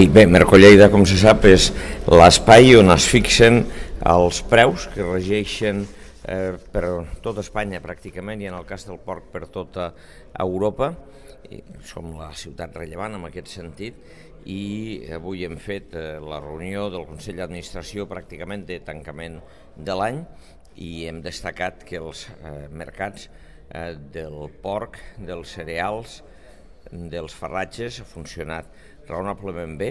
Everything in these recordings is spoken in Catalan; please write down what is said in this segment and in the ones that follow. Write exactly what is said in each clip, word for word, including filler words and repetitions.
I bé, Mercolleida, com se sap, és l'espai on es fixen els preus que regeixen eh, per tota Espanya pràcticament i en el cas del porc per tota Europa. I som la ciutat rellevant en aquest sentit i avui hem fet eh, la reunió del Consell d'Administració pràcticament de tancament de l'any i hem destacat que els eh, mercats eh, del porc, dels cereals, dels farratges ha funcionat raonablement bé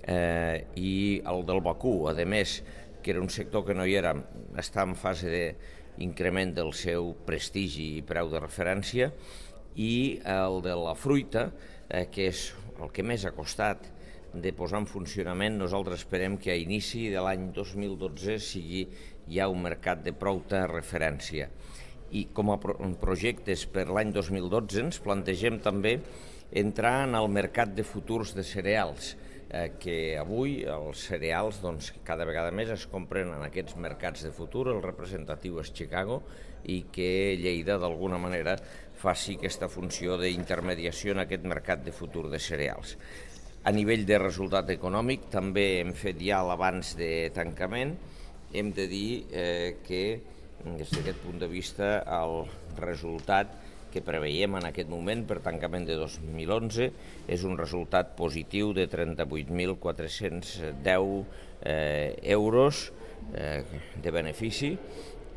eh, i el del vacú, a més, que era un sector que no hi era, està en fase d'increment del seu prestigi i preu de referència, i el de la fruita, eh, que és el que més ha costat de posar en funcionament. Nosaltres esperem que a inici de l'any dos mil dotze sigui ja un mercat de prou-ta referència. I com a pro projectes per l'any dos mil dotze ens plantegem també entrar en el mercat de futurs de cereals, eh, que avui els cereals doncs, cada vegada més es compren en aquests mercats de futur. El representatiu és Chicago i que Lleida d'alguna manera faci aquesta funció d'intermediació en aquest mercat de futur de cereals. A nivell de resultat econòmic també hem fet ja l'abans de tancament. Hem de dir eh, que des d'aquest punt de vista el resultat que preveiem en aquest moment per tancament de dos mil onze és un resultat positiu de trenta-vuit mil quatre-cents deu eh, euros eh, de benefici,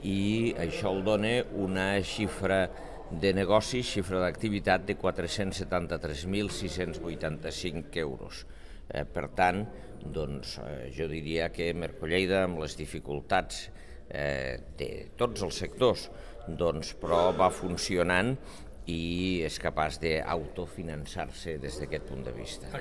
i això el dona una xifra de negoci, xifra d'activitat de quatre-cents setanta-tres mil sis-cents vuitanta-cinc euros. Eh, per tant, doncs, eh, jo diria que Mercolleida, amb les dificultats eh, de tots els sectors, doncs, però va funcionant i és capaç d'autofinançar-se des d'aquest punt de vista.